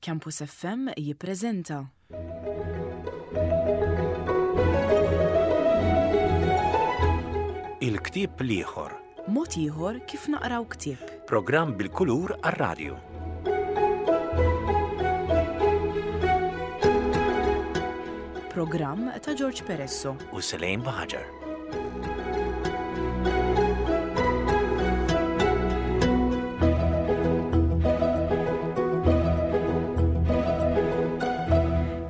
Campus FM jippreżenta. Il-ktieb l-ieħor. Mod ieħor kif naqraw ktieb. Programm bil-kulur għar-radju. Programm ta' George Peresso. U Selejn Baħaġar.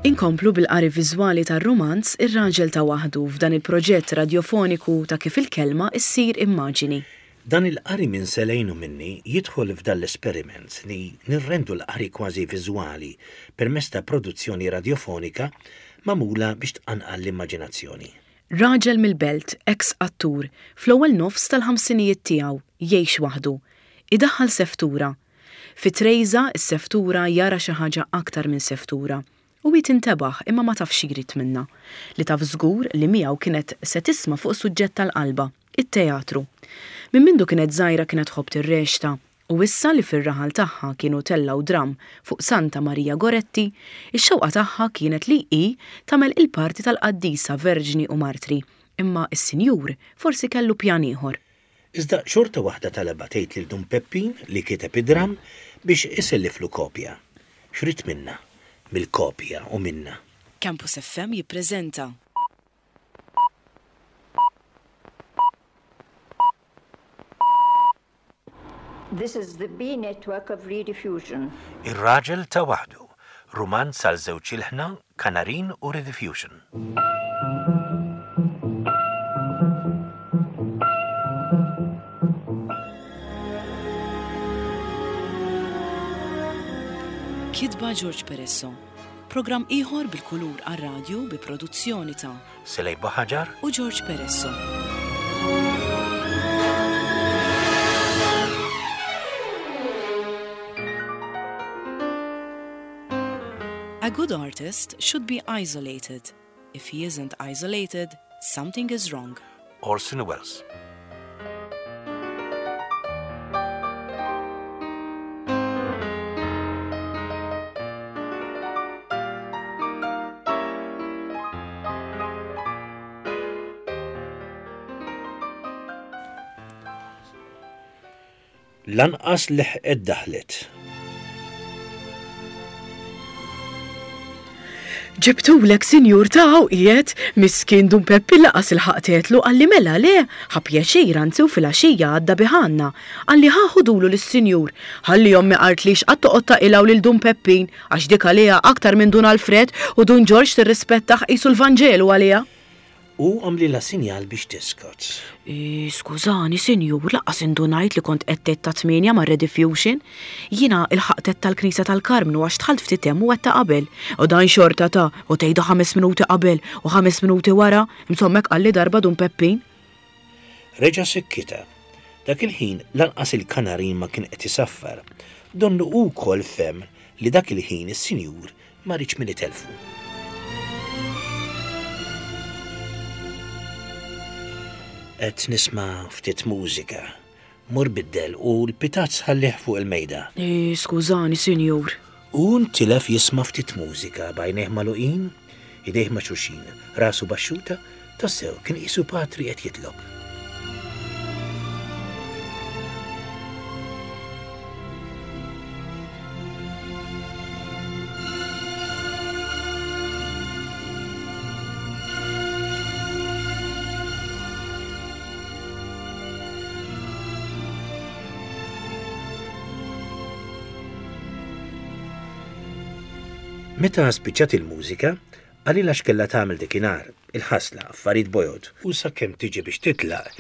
Inkomplu bil-qari viżwali tar-rumanz Ir-Raġel ta' Waħdu f'dan il-proġett radjofoniku ta' kif il-kelma ssir immaġini. Dan il-qari minn Selejn u minni jidħol f'dan l-esperiment li nirrendu l-qari kważi viżwali permezz ta' produzzjoni radjofonika magħmula biex tqanqal l-immaġinazzjoni. Raġel mill-Belt, eks attur, fl-ewwel nofs tal-ħamsinijiet tiegħu, jgħix waħdu. Idaħħal seftura. Fi Trejża, is-seftura jara xi ħaġa aktar minn seftura. U hi tintebaħ imma ma tafx xi jrid minnha. Li taf żgur li miegħu kienet se tisma' fuq suġġett tal-qalba, it-teatru. Minn mindu kienet żgħira kienet tħobb tirreċta U issa li fir-raħal tagħha kienu tellgħu dramm fuq Santa Marija Goretti, ix-xewqa tagħha kienet li hi tagħmel il-parti tal-qaddisa verġni u martri, imma s-sinjur forsi kellu pjan ieħor. Iżda xorta waħda talabha tgħid lil Dun Peppin, li kiteb id-dramm, biex iselliflu kopja. X'ried minnha? Mill-kopja u minnha. Campus FM jippreżenta. This is the B network of Rediffusion. Ir-Raġel ta' Waħdu, rumanz għal żewġ ilħna, Kanarin u Rediffusion. Kitba George Peresso. Programm ieħor bil-kulur għar-radju bi produzzjoni ta' Selej Buħaġar u George Peresso. A good artist should be isolated. If he isn't isolated, something is wrong. Orson Welles. Lanqas leħqet daħlet. Ġibtulek sinjur ta' hawn qiegħed, miskin Dun Peppi laqas ilħaqt għedtlu qalli mela le, ħa pjaċir anzi u filgħaxija għadda bih għandna. Qalli ħa ħudulu lis-sinjur. Ħalli ommi qaltlix qatt toqgħod taqilgħu lil Dun Peppin għax dik għaliha aktar minn Dun Alfred u Dun Ġorġ tirrispettah qisu l-Vanġelu għaliha. Hu għamlilha sinjal biex tiskot. Skużani, sinjur, lanqas indunajt li kont qed tgħid tat-tmienja mar-Rediffusion. Jiena ilħaqt għedt tal-Knisja tal-Karmnu għax dħalt ftit hemm u għedtha qabel. U dan xorta ta' u tgħidha ħames minuti qabel u ħames minuti wara, insomma hekk qalli darba Dun Peppin. Reġa' sikkitha. Dak il-ħin lanqas il-kanarin ma kien qed isaffar. Donnu hu wkoll fehem li dak il-ħin is-sinjur Ma riedx min itellfu. Qed nisma' ftit mużika. Mur biddel u l-pitazz ħallih fuq il-mejda. Skużani, sinjur. Hu ntilef jisma' ftit mużika b'għajnejh magħluqin, idejh ma' xulxin, rasu baxxuta, tassew kien qisu patri qed jitlob. Meta spiċċat il-mużika, qalilha x'kellha tagħmel dikinhar. Il-ħasla, affarijiet bojod, u sakemm tiġi biex titlaq,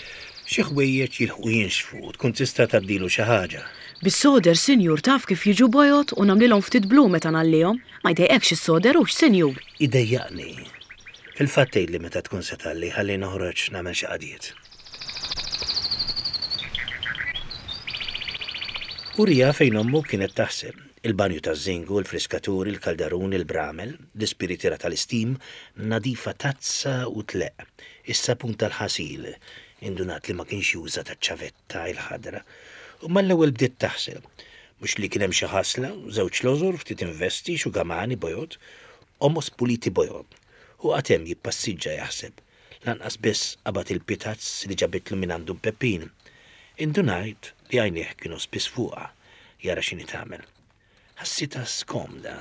xi ħwejjeġ jilħqu jinxfu u tkun tista' tgħaddilu xi ħaġa. Bis-soder, sinjur, taf kif jiġu bojod u nagħmlilhom ftit blu meta ngħallihom. Ma jdejqekx is-soder hux, sinjur? Idejjaqni. Fil-fatt tgħidli meta tkun se tgħalli ħalli noħroġ nagħmel xi qadjiet. Uriha fejn ommu kienet taħsel. Il-banju taż-żingu, il-friskatur, il-kaldarun, il-bramel, l-ispiritiera tal-istim, nadifa tazza u tleqq, is-sapun tal-ħasil, indunat li ma kienx juża taċ-ċavetta il-ħadra, u mal-ewwel bdiet taħsel. Mhux li kien hemm xi ħasla, żewġ lożor, ftit investi, xugamani bojod, qomos puliti bojod. Hu qagħad hemm jippassiġġa jaħseb. Lanqas biss qabad il-pitazz li ġabitlu mingħand Dun Peppin. Indunajt li għajnejh kienu spiss fuqha, jara x'inhi tagħmel. Ħassitha skomda.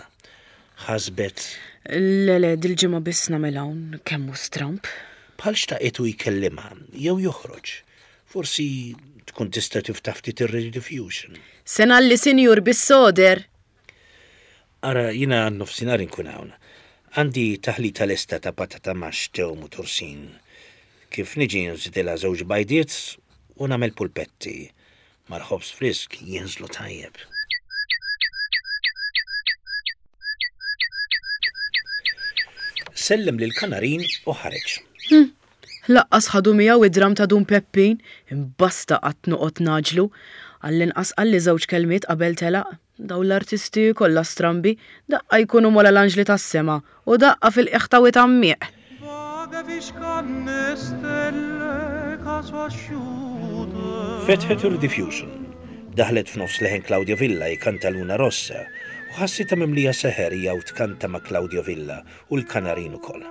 Ħasbet. Le, le, dil-ġimgħa biss nagħmel hawn, kemm hu stramb. Bħal xtaqitu jkellimha jew joħroġ. Forsi tkun tista' tiftaħ ftit ir-rediffusion. Se ngħalli sinjur bis-soder! Ara, jiena għan-nofsinhar inkun hawn. Għandi taħlita lesta ta' patata maxx, tewm u tursin. Kif niġi nżidilha żewġ bajdiet u nagħmel pulpetti. Mal-ħobż frisk jinżlu tajjeb. Sellem lill-kanarin u ħareġ. Hm, laqqas ħadu miegħu id-dram ta' Dun Peppin, imbasta qatt noqgħod ngħaġġlu. Għall-inqas qalli żewġ kelmiet qabel telaq. Dawn l-artisti kollha strambi, daqqa jkunu m'ogħla l-anġli tas-sema u daqqa fil-qiegħ ta' wied għammieq. Fetħet ir-rediffusion. Daħlet f'nofs leħen Claudio Villa jkanta Luna Rossa u ħassitha mimlija seħer hija u tkanta ma' Claudio Villa u l-kanarin ukoll.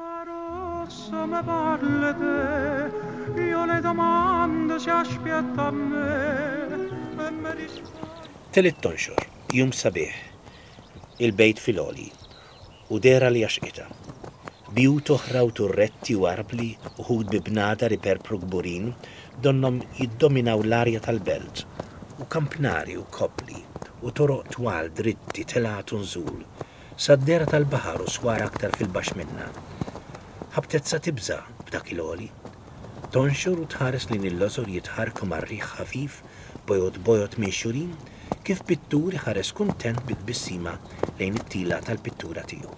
Telgħet tonxor, jum sabiħ, il-bejt fil-għoli, u dehra li għaxqitha. Bjut oħra u turretti u arbli, uħud bi bnadar iperpru kburin, donnhom jiddominaw l-arja tal-belt, u kampnari u koppli, u toroq twal dritti telgħat u nżul, sad-dehra tal-baħar u swar aktar fil-baxx minnha. Ħabtet sa tibża' b'dak il-għoli. Tonxor u tħares lejn il-lożor jitħarrku mar-riħ ħafif bojod bojod minxurin, kif pittur iħares kuntent bi tbissima lejn it-tila tal-pittura tiegħu.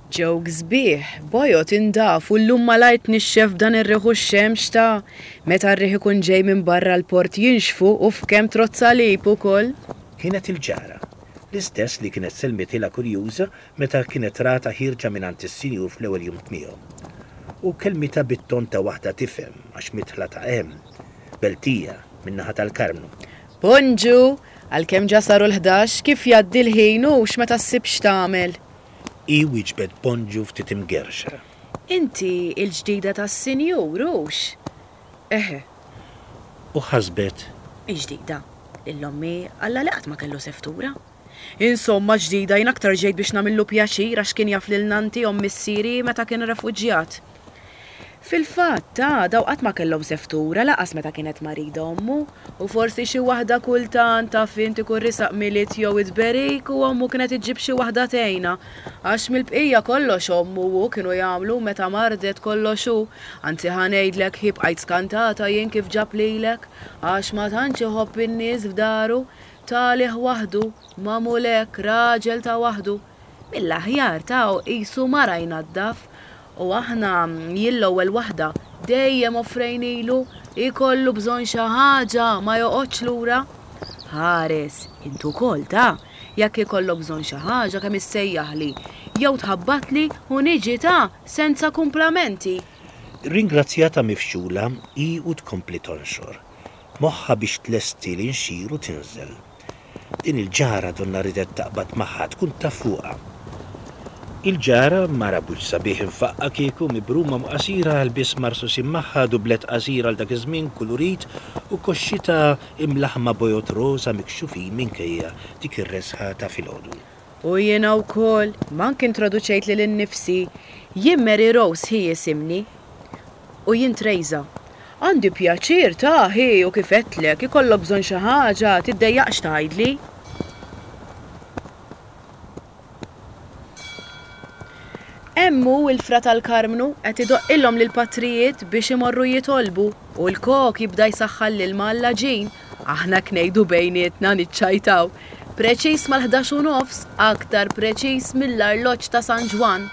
Ġewk sbieħ, bojod indaf u llum malajr tnixxef b'dan ir-riħ u x-xemx ta' meta r-riħ ikun ġej minn barra l-port jinxfu u f'kemm trodd salib ukoll. Kienet il-ġara. L-istess li kienet sellmitilha kurjuża meta kienet ratha ħierġa mingħand is-sinjur fl-ewwel jum tmiegħu. U kellmitha bit-ton ta' waħda tifhem għax midħla ta' hemm, Beltija, min-naħa tal-Karmnu. Bonġu! Għalkemm ġa saru l-ħdax, kif jgħaddi l-ħin hux meta ssib x'tagħmel? Hi wieġbet bonġu ftit imgerrxa. Inti l-ġdida tas-sinjur, hux? Eħe. U ħasbet. Ġdida? Lil ommi Alla li qatt ma kellu seftura. Insomma ġdida jien aktar ġejt biex nagħmillu pjaċir għax kien jaf lil nannti omm missieri meta kien refuġjat. Fil-fatt, ta, daw qatt ma kellhom seftura laqas meta kienet marida ommu, u forsi xi waħda kultant taf int ikun risaq Milied jew it-tberik u ommu kienet iġġib xi waħda tgħinha, għax mill-bqija kollox ommu u hu kienu jagħmlu meta mardet kollox hu, anzi ħa ngħidlek hi bqajt skantata jien kif ġab lilek, għax ma tantx iħobb in-nies f'daru, T'għalih waħdu, magħmul hekk, raġel ta' waħdu. Mill-aħjar ta' qisu mara jnaddaf. U aħna, jien l-ewwel waħda, dejjem offrejnilu, ikollu bżonn xi ħaġa, ma joqgħodx lura. Ħares, int ukoll ta', jekk ikollok bżonn xi ħaġa kemm issejjaħli, jew tħabbatli u niġi ta' senza kumplamenti. Rringrazzjatha mifxula hi u tkompli tonxor. Moħħha biex tlesti l-inxir u tinżel. Din il-ġara donnha riedet taqbad magħha, tkun taf fuqha. Il-ġara, mara b'wiċċ sabiħ imfaqqa' kieku, mibruma u qasira, lbies marsusin magħha, dublett qasir għal dak iż-żmien, kulurit, u koxxitha imlaħħma bojod roża mikxufin minkejja dik ir-reżħa ta' filgħodu. U jiena wkoll, mank introduċejt lili nnifsi. Jien Mary Rose hi jisimni. U jien Trejża. Għandi pjaċir, ta, hi, u kif għedtlek, ikollok bżonn xi ħaġa, tiddejjaqx tgħidli. Hemm hu l-Fra tal-Karmnu qed idoqqilhom lill-patrijiet biex imorru jitolbu u l-kok jibda jsaħħan l-ilma għall-għaġin. Aħna hekk ngħidu bejnietna niċċajtaw. Preċiż mal-ħdax u nofs, aktar preċiż mill-arloġġ ta' San Ġwann.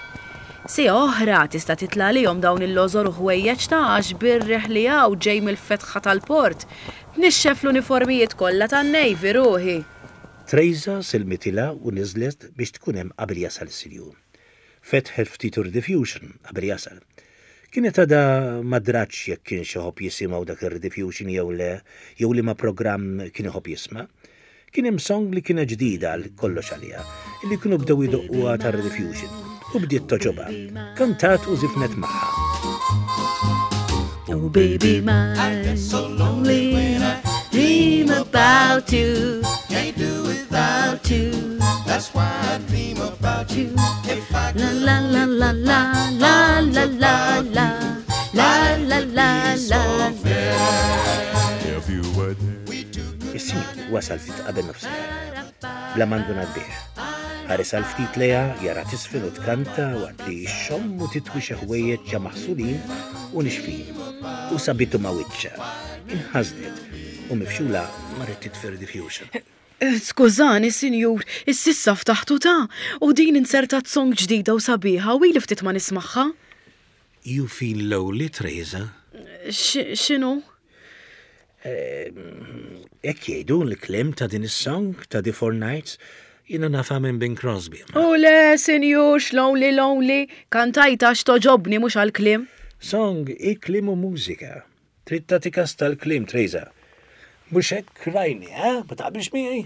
Siegħa oħra tista' titla' għalihom dawn il-lożor u ħwejjeġ ta' għax bir-riħ li hawn ġej mill-fetħa tal-port, tnixxef l-uniformijiet kollha tan-Navy ruħi. Trejża sellmitilha u niżlet biex tkun hemm qabel jasal is-sinjur. Fetħet ftit ir-rediffusion qabel jasal. Kienet għadha ma dratx jekk kienx iħobb jisimgħu dak ir-rediffusion jew le, jew liema programm kien iħobb jisma'. Kien hemm song li kienet ġdida għal kollox għaliha, illi kienu bdew idoqquha tar-Rediffusion, u bdiet togħġobha. Kantat u żifnet magħha. Oh baby mine, I get so lonely when I dream about you. Can't do without you. That's why I dream about you. If I La la la la la la la la la la la la la. If you were there. Is-sinjur wasal ftit qabel nofsinhar. Bla ma ndunat bih. Ħares għal ftit lejha jara tisfel u tkanta waqt li xxomm u titwi xi ħwejjeġ ġa maħsulin u nixfin. U sabitu ma' wiċċha. Inħasdet u mifxula marret titfi r-diffusion. Skużani, sinjur, ississa ftaħtu ta' u din inzertat song ġdida u sabiħa u ili ftit ma nismagħha. You feel lonely, Teresa? X'inhu? Hekk jgħidu l-kliem ta' din is-song ta' The Four Nights, jiena nafha minn Bing Crosby. U le, sinjur, x'lonely lonely, kantajtha għax togħġobni mhux għall-kliem. Song hi kliem u mużika. Trid tagħti kas tal-kliem, Teresa. Mhux hekk rajni, eh? Ma taqbilx miegħi?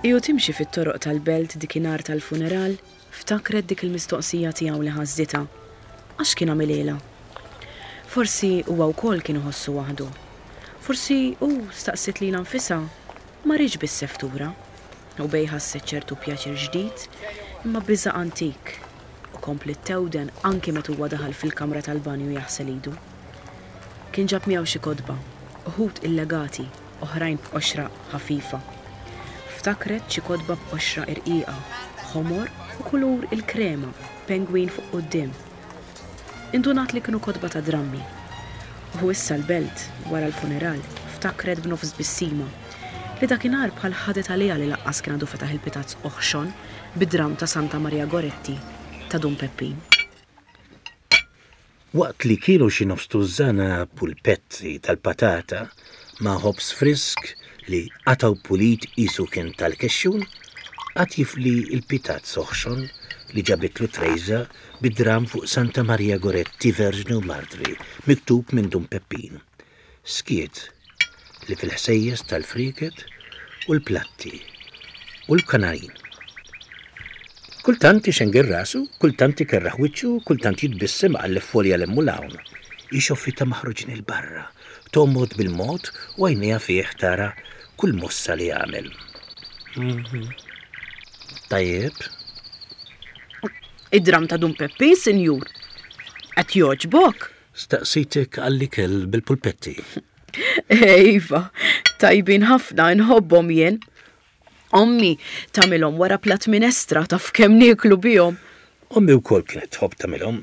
Hi u timxi fit-toroq tal-belt dikinhar tal-funeral, Ftakret dik il-mistoqsija tiegħu li ħasditha. Għax kien għamilhielha? Forsi huwa wkoll kien iħossu waħdu. Forsi hu, staqsiet lilha nfisha, ma riedx biss seftura. U bej ħasset ċertu pjaċir ġdid, imma biża' antik, u kompliet thewden anki meta huwa daħal fil-kamra tal-banju jaħsel idu. Kien ġab miegħu xi kotba, uħud illegati, oħrajn b'qoxra ħafifa. Ftakret xi kotba b'qoxra irqiqa, ħomor u kulur il-krema b'pengwin fuq quddiem. Indunat li kienu kotba ta' drammi. U issa l-belt, wara l-funeral, ftakret b'nofs tbissima, li dakinhar bħal ħadet għaliha li laqqas kien għadu fetaħ il-pitazz oħxon bid-dramm ta' Santa Maria Goretti ta' Dun Peppin. Waqt li kielu xi nofs tużżana pulpetti tal-patata ma' ħobż frisk li qatgħu pulit qisu kien tal-kexxun, qagħad jifli l-pitazz oħxon li ġabitlu Trejża bid-dramm fuq Santa Maria Goretti Verġni u Martri miktub minn Dun Peppin. Skiet li fil-ħsejjes tal-frieket u l-platti u l-kanarin. Kultant ixengel rasu, kultant ikerraħ wiċċu, kultant jitbissem iqalleb folja 'l hemm u 'l hawn. Hi xoffitha maħruġin 'il barra, togħmod bil-mod u għajnejha fih tara kull mossa li jagħmel. Tajjeb. Id-dramm ta' Dun Peppin, sinjur. Qed jogħġbok? Staqsitek għall-ikel bil-pulpetti. Iva, tajbin ħafna, inħobbhom jien. Ommi tagħmilhom wara platt minestra taf kemm nieklu bihom. Ommi wkoll kienet tħobb tagħmilhom.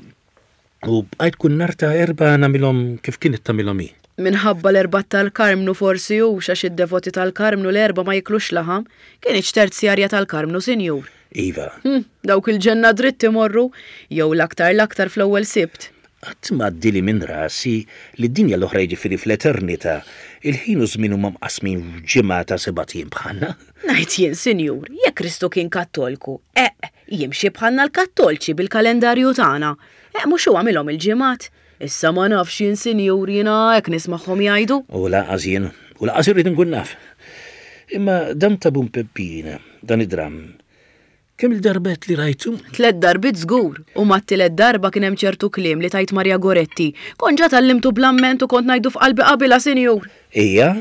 U bqajt kull nhar ta' Erbgħa nagħmilhom kif kienet tagħmilhom hi. Minħabba l-Erbgħat tal-Karmnu forsi hux għax id-devoti tal-Karmnu l-Erbgħa ma jiklux laħam. Kinitx terzjarja tal-Karmnu, sinjur? Iva. Hm, dawk il-ġenna dritt imorru, jew l-aktar l-aktar fl-ewwel Sibt. Qatt ma għaddieli minn rasi li d-dinja l-oħra jiġifieri fl-eternità, il-ħin u ż-żmien huma mqassmin f'ġimgħa ta' sebat ijiem bħalna. Ngħid jien, sinjur, jekk Kristu kien Kattolku, eqq, jimxi bħalna l-Kattolċi bil-kalendarju tagħna. Eqq mhux hu għamilhom il-ġimgħat? Issa ma nafx jien, sinjur, jiena hekk nismagħhom jgħidu. U lanqas jien, u lanqas irrid inkun naf. Imma dan ta' Bun Peppin, dan id-dramm, Kemm-il darba għedt li rajtu? Tlett darbiet żgur, u mat-tielet darba kien hemm ċertu kliem li tgħid Maria Goretti. Kont ġa tgħallimtu bl-amment u kont ngħidu f'qalbi qabilha, sinjur. Ejja?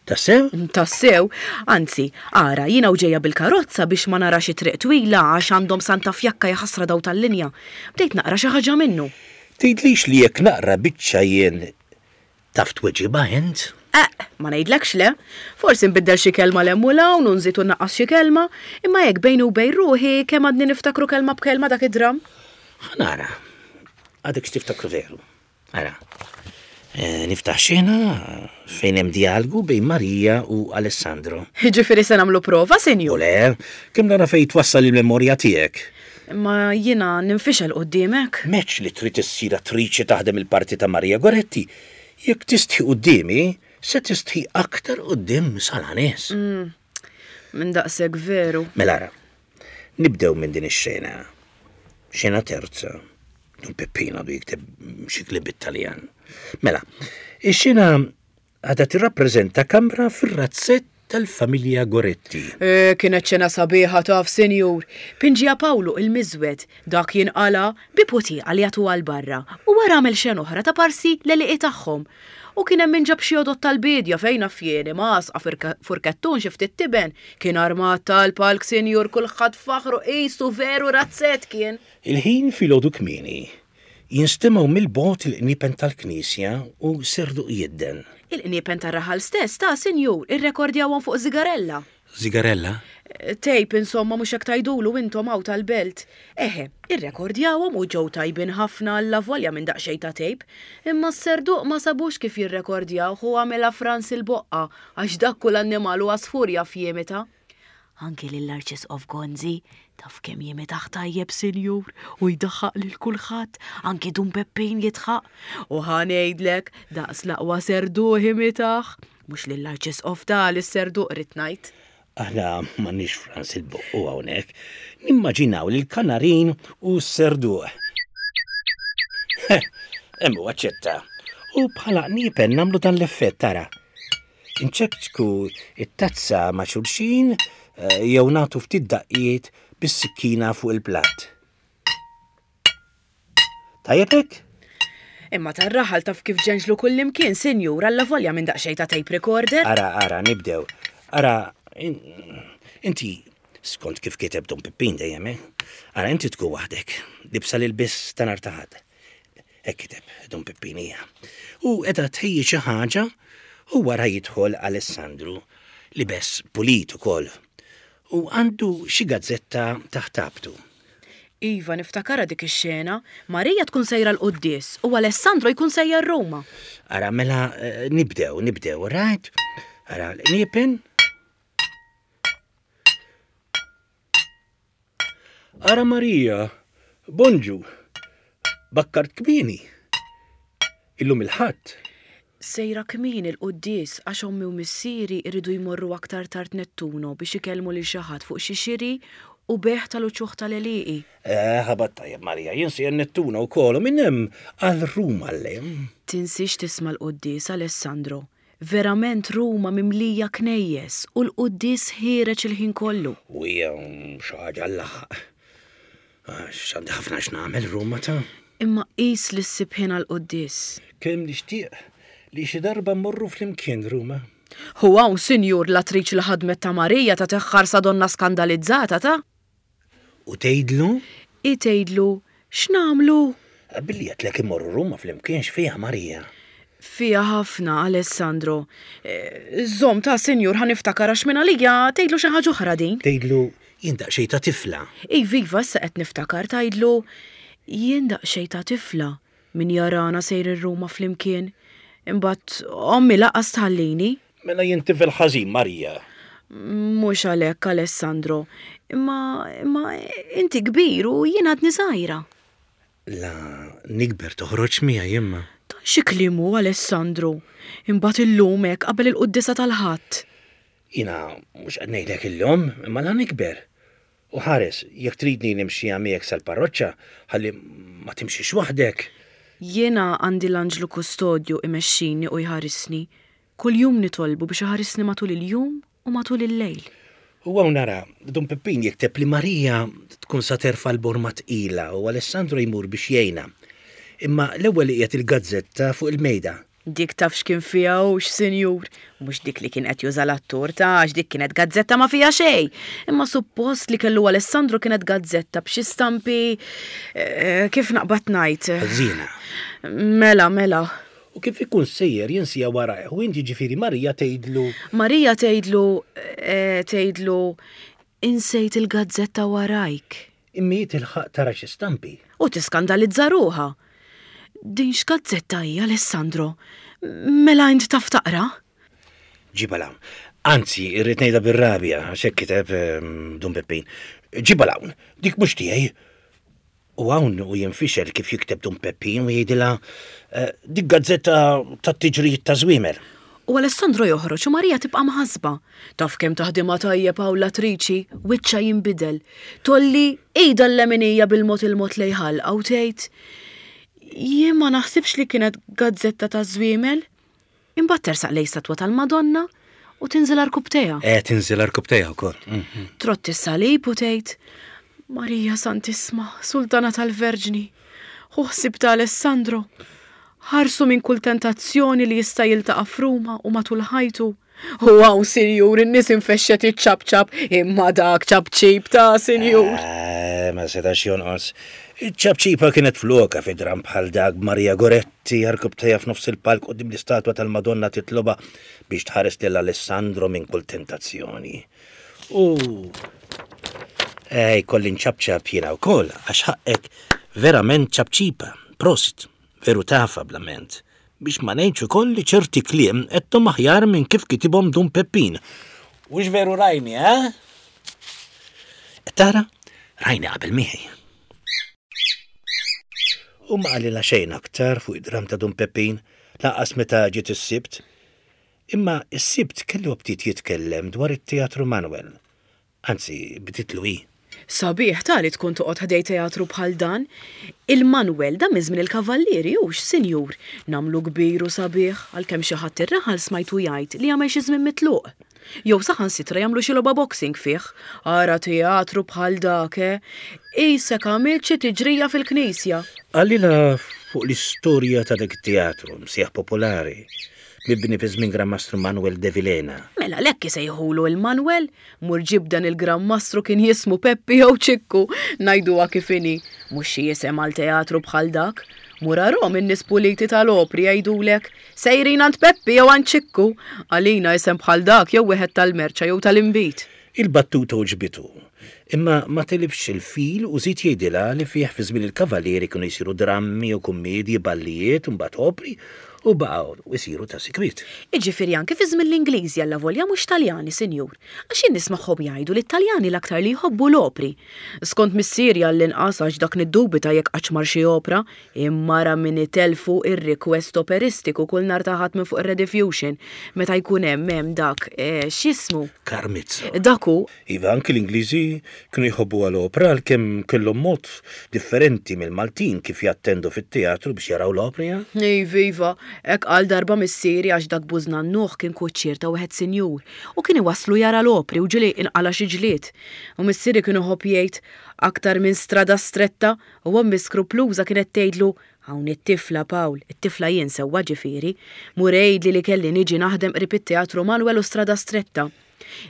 Tassew? Tassew. Anzi, ara, jiena u ġejja bil-karozza biex ma narax it-triq twila għax għandhom Santa Fjakka jaħasra daw tal-linja. Bdejt naqra xi ħaġa minnu. Tgħidlix li jekk naqra biċċa jien Taf tweġibha int? Eqq, ma ngħidlekx le. Forsi nbiddel xi kelma 'l hemm u 'l hawn u nżid u nnaqqas xi kelma, imma hekk bejni u bejn ruħi kemm għadni niftakru kelma b'kelma dak id-dramm. Ħa nara. Għadek x'tiftakru veru. Ara. Niftaħ xena fejn hemm djalgu bejn Marija u Alessandro. Jiġifieri se nagħmlu prova, sinjur? U le, kemm nara fejn twassal il-memorja tiegħek. Imma jiena ninfixel quddiemek. M'għedtx li trid issir attriċi taħdem il-parti ta' Maria Goretti. Jekk tistħi quddiemi, se tistħi aktar quddiem sala nies. Minn daqshekk veru. Mela ara, nibdew minn din ix-xena. Xena terza. Dun Peppino għadu jikteb xi kliem bit-Taljan. Mela, ix-xena għadha tirrappreżenta kamra fir-razzett tal-familja Goretti. Eh, kienet xena sabiħa taf, sinjur. Pinġija Pawlu il-miżwed, dak jinqala bi putieqa li jagħtuha 'l barra u wara għamel xena oħra ta' parsi l-għelieqi tagħhom. U kien hemm min ġab xi għodod tal-biedja fejn naf jien, imgħasqa, furkettun, xi ftit tiben. Kien armat tal-palk, sinjur, kulħadd faħħru qisu veru razzett kien. Il-ħin filgħodu kmieni. Jinstemgħu mill-bogħod il-qniepen tal-knisja u serduq jidden. Il-qniepen tar-raħal stess, ta, sinjur, irrekordjawhom fuq żigarella. Żigarella? Tape, insomma, mhux hekk tgħidulu intom hawn tal-belt. Eħe, irrekordjawhom u ġew tajbin ħafna allavolja minn daqsxejn ta' tape. Imma s-serduq ma sabux kif jirrekordjawh u għamilha Frans il-Boqqa għax dak kull annimal u għasfur jaf jimita. Anki lill-Arċisqof Gonzi, taf kemm jimitah tajjeb, sinjur, u jdaħħaq lil kulħadd, anki Dun Peppin jidħaq. U ħa ngħidlek, daqs l-aqwa serduq imitah. Mhux lill-Arċisqof ta' lis-serduq ridt ngħid. Aħna m'għandniex Frans il-Boqqu hawnhekk. Nimmaġinaw lill-kanarin u s-serduq. Hemm hu aċċetta. U bħala qniepen nagħmlu dan l-effett tara. Inċekċku t-tazza ma' xulxin eh, jew nagħtu ftit daqqiet bis-sikkina fuq il-platt. Tajjeb hekk? Imma tar-raħal taf kif ġenġlu kullimkien, sinjur, allavolja minn daqsxejn ta' tape recorder. Ara, ara, nibdew. Ara, inti, skont kif kiteb Dun Pippin dejjem, eh? Ara, inti tkun waħdek, libsa l-ilbies ta' nhar ta' Ħadd. Hekk kiteb Dun Pippin hija. U qiegħda tħejji xi ħaġa u wara jidħol Alessandru, libes pulit ukoll u għandu xi gazzetta taħt abtu. Iva, niftakarha dik ix-xena. Marija tkun sejra l-quddies u Alessandro jkun sejjer Ruma. Ara, mela eh, nibdew, nibdew, right? Ara, l-qniepen. Ara Marija, bonġu, bakkart kmieni. Illum il-Ħadd. Sejra kmieni l-quddies għax ommi u missieri jridu jmorru aktar tard Nettuno biex ikellmu lil xi ħadd fuq xi xiri u bejgħ tal-uċuħ tal-għelieqi. Eh, ħabat tajjeb Marija, jien sejjer Nettuno wkoll u minn hemm għal Ruma llejl. Tinsiex tisma' l-quddies, Alessandro. Verament Ruma mimlija knejjes u l-quddies ħiereġ il-ħin kollu. U hija xi ħaġa għall-laħaq. Għax għandi ħafna x'nagħmel Ruma ta'. Imma qis li ssib ħin għall-quddies. Kemm nixtieq li xi darba mmorru flimkien Ruma. Hu hawn, sinjur, l-attriċi li ħadmet ta' Marija tagħtih ħarsa donnha skandalizzata ta'. U tgħidlu? Hi tgħidlu, X'nagħmlu? Billi għedtlek immorru Ruma flimkien x'fiha Marija? Fiha ħafna, Alessandro. Żomm ta' sinjur ħa niftakar għax mingħalija tgħidlu xi ħaġa oħra din. Tgħidlu jien daqsxejn ta' tifla. Iva, iva, issa qed niftakar tgħidlu jien daqsxejn ta' tifla. Min jarana sejrin Ruma flimkien? Imbagħad ommi lanqas tħallini. Mela jien tifel ħażin, Marija. Mhux għalhekk, Alessandro. Imma, imma inti kbir u jien għadni żgħira. La nikber toħroġ miegħi imma. Dan xi kliem hu, Alessandro? Imbagħad illum hekk qabel il-quddiesa tal-Ħadd. Jiena mhux qed ngħidlek illum, imma la nikber. U ħares, jekk tridni nimxiha miegħek sal-parroċċa, ħalli ma timxix waħdek. Jiena għandi l-anġlu kustodju imexxini u jħarisni. Kuljum nitolbu biex iħarisni matul il-jum u matul il-lejl. U hawn ara, Dun Pippin jikteb li Marija tkun sa terfa' l-borma tqila u Alessandro jmur biex jgħinha. Imma l-ewwel iqiegħed il-gazzetta fuq il-mejda. Dik taf x'kien fiha hux, sinjur? Mhux dik li kien qed juża l-attur ta' għax dik kienet gazzetta ma fiha xejn. Imma suppost li kellu Alessandro kienet gazzetta b'xi stampi eh, kif naqbad ngħid. Ħażina. Mela, mela. U kif ikun sejjer jinsija warajh u inti ġifieri Marija tgħidlu. Marija tgħidlu eh, tgħidlu insejt il-gazzetta warajk. Imma hi tilħaq tara xi stampi. U tiskandalizza ruħha. Din x'gazzetta hi, Alessandro? Mela int taf taqra? Ġibha 'l hawn. Anzi, irrid ngħidha bir-rabja, għax hekk kiteb Dun Peppin. Ġibha 'l hawn, dik mhux tiegħi. U hawn hu jinfixel kif jikteb Dun Peppin u jgħidilha, Dik gazzetta tat-tiġrijiet taż-żwiemel. U Alessandro joħroġ u Maria tibqa' mħassba. Taf kemm taħdimha tajjeb hawn l-attriċi, wiċċha jinbidel. Tgħolli idha l-leminija bil-mod il-mod lejn ħalqha u tgħid, Jien ma naħsibx li kienet gazzetta taż-żwiemel. Imbagħad tersaq lejn statwa tal-Madonna u tinżel għarkupptejha. Eh, tinżel għarkupptejha wkoll. Trott is-salib u tgħid, Marija Santissma, Sultana tal-Verġni, ħu ħsieb ta' Alessandro, ħarsu minn kull tentazzjoni li jista' jiltaqa' f'Ruma u matul ħajtu. U hawn, sinjur, in-nies infexxet iċċapċap, imma dak ċapċip ta' sinjur. Eh, ma setax jonqos. Iċ-ċapċipa kienet flokha fi dramm bħal dak b'Maria Goretti għarkupptejha f'nofs il-palk quddiem l-istatwa tal-Madonna titlobha biex tħares lil Alessandro minn kull tentazzjoni. U eh, jkolli nċapċap jiena wkoll għax ħaqqek verament ċapċipa. Prosit, veru tafha bl-amment. Biex ma ngħidx ukoll li ċerti kliem għedthom aħjar minn kif kitibhom Dun Peppin. Hux veru Rajni, eh? Qed tara? Rajni qabel miegħi. U ma qalilha xejn aktar fuq id-dramm ta' Dun Peppin, lanqas meta ġiet is-Sibt. Imma s-Sibt kellu aptit jitkellem dwar it-Teatru Manuel. Anzi, bdietlu hi. Sabiħ ta' li tkun toqgħod ħdej teatru bħal dan. Il-Manwel, dan minn żmien il-Kavallieri, hux, sinjur? Nagħmlu kbir u sabiħ, għalkemm xi ħadd ir-raħal smajtu jgħid li għamel xi żmien mitluq. Jew saħansitra jagħmlu xi logħba boxing fih. Ara teatru bħal dak, eh! Qisek għamilt xi tiġrija fil-knisja. Qalilha fuq l-istorja ta' dak it-teatru, msejjaħ popolari, mibni fi żmien Gran Mastru Manuel de Vilhena. Mela l-hekk isejħulu il-Manwel? Mur ġib dan il-Gran Mastru kien jismu Peppi jew Ċikku, ngħiduha kif inhi. Mhux xi isem għal teatru bħal dak. Mur arahom in-nies puliti tal-opri jgħidulek, sejrin għand Peppi jew għand Ċikku. Għalina isem bħal dak jew wieħed tal-merċa jew tal-inbid. Il-battuta għoġbitu. Imma ma tilifx il-fil u żied jgħidilha li fih fi żmien il-Kavalieri kienu jsiru drammi u kummiedji, ballijiet u mbagħad opri u baqgħu jsiru ta' sikwit. Jiġifieri anki fi żmien l-Ingliżi allavolja mhux Taljani, sinjur. Għax jien nismagħhom jgħidu li t-Taljani l-aktar li jħobbu l-opri. Skont missieri għall-inqas għax dak niddubita jekk qattx mar xi opra, imma ara min itellfu ir-request operistiku kull nhar ta' Ħadd minn fuq ir-Rediffusion meta jkun hemm hemm dak, x'jismu? Karmizzo. Dak hu. Iva, anki l-Ingliżi kienu jħobbuha l-opra għalkemm kellhom mod differenti mill-Maltin kif jattendu fit-teatru biex jaraw l-opri, eh? Iva, iva, hekk qal darba missieri għax dak bużnannuh kien kuċċier ta' wieħed sinjur u kien iwasslu jara l-opri u ġieli inqala' xi ġlied. U missieri kien iħobb jgħid, Aktar minn strada stretta, u ommi skrupluża kienet tgħidlu, Hawn it-tifla, Pawl, it-tifla jien sewwa ġifieri, mur għidli li kelli niġi naħdem qrib it-Teatru Manuel u Strada Stretta.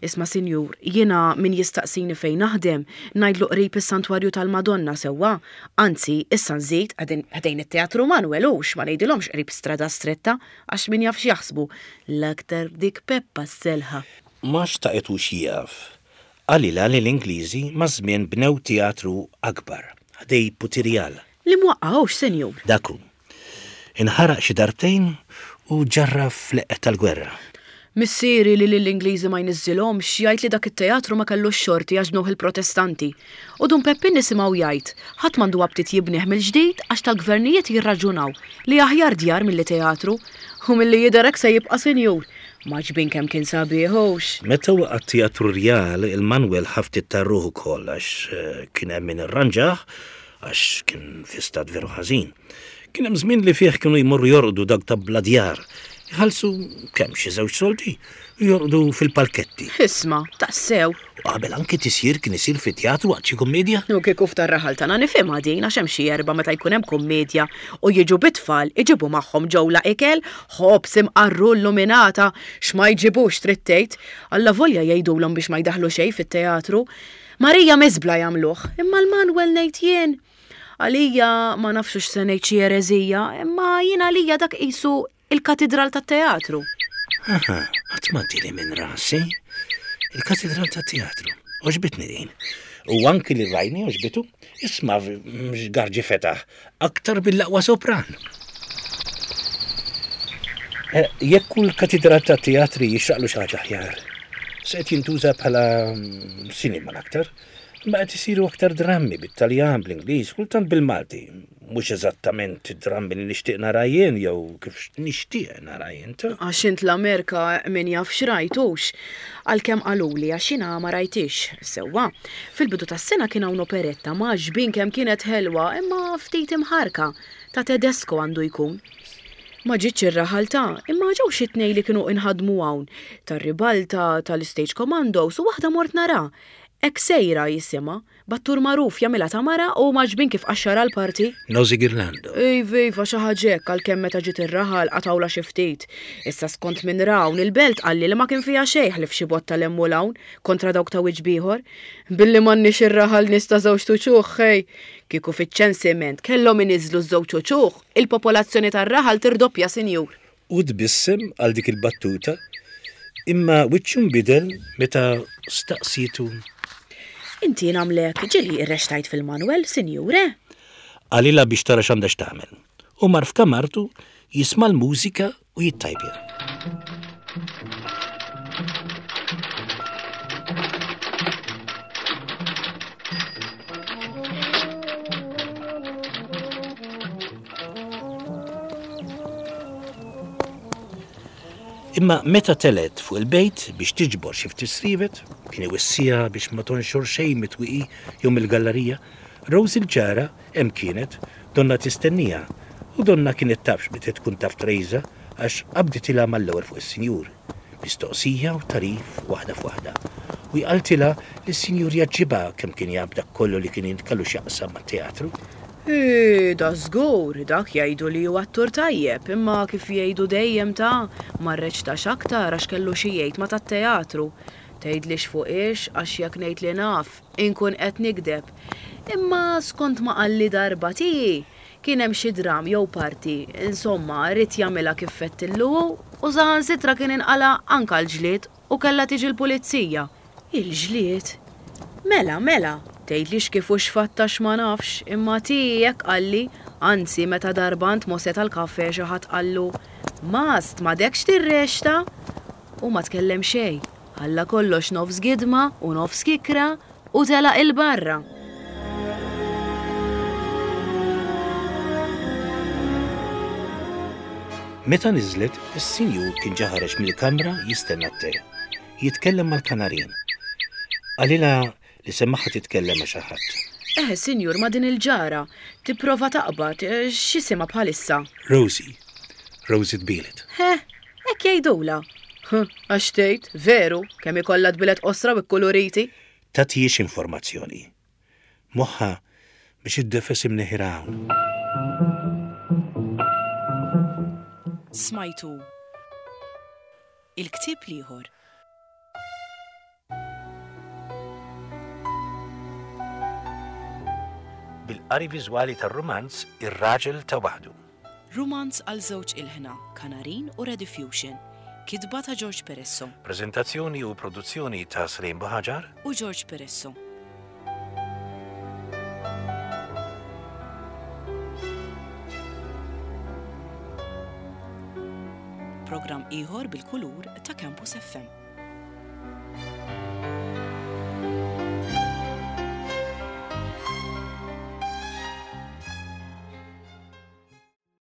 Isma' sinjur, jiena min jistaqsini fejn naħdem, ngħidlu qrib is-Santwarju tal-Madonna sewwa, anzi, issa nżid, ħdejn it-Teatru Manuel hux, ma ngħidilhomx qrib Strada Stretta, għax min jaf x'jaħsbu, l-aktar dik Peppa s-selħa. Ma xtaqitux jieqaf. Qalilha li l-Ingliżi maż-żmien bnew teatru akbar, ħdej Putirjal. Li mwaqqa' hux, sinjur? Dak hu. Inħaraq xi darbtejn u ġġarraf fl-eqqel tal-gwerra. Missieri li lill-Ingliżi ma jniżżilhomx jgħid li dak it-teatru ma kellux xorti għax bnewh il-Protestanti. U Dun Peppin nisimgħu jgħid, ħadd m'għandu aptit jibnih mill-ġdid għax tal-gvernijiet jirraġunaw li aħjar djar milli teatru. U milli jidher hekk se jibqa' sinjur. M'għaġbin kemm kien sabiħ hux? Meta waqa' t-Teatru Rjal, il-Manwel ħa ftit tar-ruħ ukoll għax kien hemm min irranġah għax kien fi stat veru ħażin. Kien hemm żmien li fih kienu jmorru jorqdu dawk ta' bla djar. Iħallsu kemm xi żewġ soldi u jorqdu fil-palketti. Isma', tassew. U qabel anki tisjir kien isir fi teatru waqt xi kummiedja. U kieku f'tar-raħal tagħna nifhimha din għax hemm xi erbgħa meta jkun hemm kummiedja u jiġu bit-tfal iġibu magħhom ġewla ikel, ħobż, imqarru, illuminata, x'ma jġibux trid tgħid. Allavolja jgħidulhom biex ma jdaħħlu xejn fit-teatru. Marija miżbla jagħmluh, imma l-Manwel ngħid jien. Għalija ma nafx hux se ngħid xi ereżija, imma jien għalija dak qisu il-katidral tat-teatru. Aha, qatt ma għaddieli minn rasi. Il-katidral tat-teatru. Għoġbitni din. U anki li rajni għoġbitu. Isma' x'garġi fetaħ. Aktar mill-aqwa sopran. Eh, jekk kull katidral tat-teatri jixraqlu xi ħaġa aħjar. Se qed jintuża bħala mm, sinema l-aktar. Imma qed isiru aktar drammi bit-Taljan, bl-Ingliż, kultant bil-Malti. Mhux eżattament id-drammi li nixtieq nara jien jew kif nixtieq nara jien ta'. Għax int l-Amerika min jaf x'rajt hux. Għalkemm qaluli għax jiena ma rajthiex. Sewwa. Fil-bidu tas-sena kien hawn operetta m'għaġbin kemm kienet ħelwa imma ftit imħarrka. Ta' Tedesco għandu jkun. Ma ġietx ir-raħal ta' imma ġew xi tnejn li kienu inħadmu hawn, tar-ribalta, tal-istage commandos u waħda mort nara. Hekk sejra jisimha. B'attur magħruf jagħmilha ta' mara u m'għaġbin kif qaxxarha l-parti. Nosy Ghirlando. Iva, iva, xi ħaġa hekk għalkemm meta ġiet ir-raħal qatgħulha xi ftit. Issa skont min ra hawn il-belt qalli li ma kien fiha xejn ħlief xi botta 'l hemm u 'l hawn kontra dawk ta' wiċċ b'ieħor. Billi m'għandniex ir-raħal nies ta' żewġt uċuħ, ħej! Kieku fiċ-ċensiment kellhom iniżżlu ż-żewġ uċuħ, il-popolazzjoni tar-raħal tirdoppja, sinjur. Hu tbissem għal dik il-battuta, imma wiċċu nbidel meta staqsietu. Inti nagħmlek ġieli rrextajt fil-Manwel, sinjur, eh? Qalilha biex tara x'għandha x'tagħmel, u mar f'kamartu jisma' l-mużika u jittajpja. Imma meta telgħet fuq il-bejt biex tiġbor xi ftit srievet, kien iwissiha biex ma tonxor xejn mit-twieqi jew mill-gallarija, Rose il-ġara hemm kienet, donnha tistenniha, u donnha kienet taf x'bdiet tkun taf Trejża għax qabditilha mal-ewwel fuq is-sinjur. Mistoqsija u tagħrif waħda f'waħda. U hi qaltilha li s-sinjur jgħaġġibha kemm kien jaf dak kollu li kien kellu x'jaqsam mat-teatru. Hi, dażgur, dak jgħidu li hu attur tajjeb, imma kif jgħidu dejjem ta, ma rreċtax aktar għax kellu xi jgħid ma' tat-teatru. Tgħidlix fuqiex għax jekk ngħid li naf, inkun qed nigdeb. Imma skont ma qalli darba tiegħi, Kien hemm xi dramm jew parti, insomma, ried jagħmilha kif fettillu hu u saħansitra kien inqala' anke l-ġlied u kellha tiġi l-pulizija. Il-ġlied? Mela, mela, tgħidlix kif u x'fatt għax ma nafx, imma tiegħi hekk qalli, anzi meta darba għand Mosè tal-kafè xi ħadd qallu, Mast, m'għadekx tirrexta? Hu ma tkellem xejn, ħalla kollox nofs gidma u nofs kikkra u telaq 'il barra. Meta niżlet, is-sinjur kien ġa ħareġ mill-kamra jistenna t-te, jitkellem mal-kanarin. Qalilha li semagħha titkellem ma' xi ħadd. Eħe, sinjur, ma' din il-ġara. Tipprova taqbad, x'isimha bħalissa? Rosie. Rosie tbielet. Ħe, hekk jgħidulha. Ħ, għax tgħid, veru, kemm ikollha tbielet qosra u kkuluriti. Tagħtihiex informazzjoni. Moħħha biex iddefes imneħirha hawn. Smajtu Il-ktieb l-ieħor. Bil-qari viżwali tar-rumanz Ir-Raġel ta' Waħdu. Rumanz għal żewġ ilħna, Kanarin u Rediffusion. Kitba ta' George Peresso. Preżentazzjoni u produzzjoni ta' Slim Buhaġar. U George Peresso. Programm ieħor bil-kulur ta' Campus FM.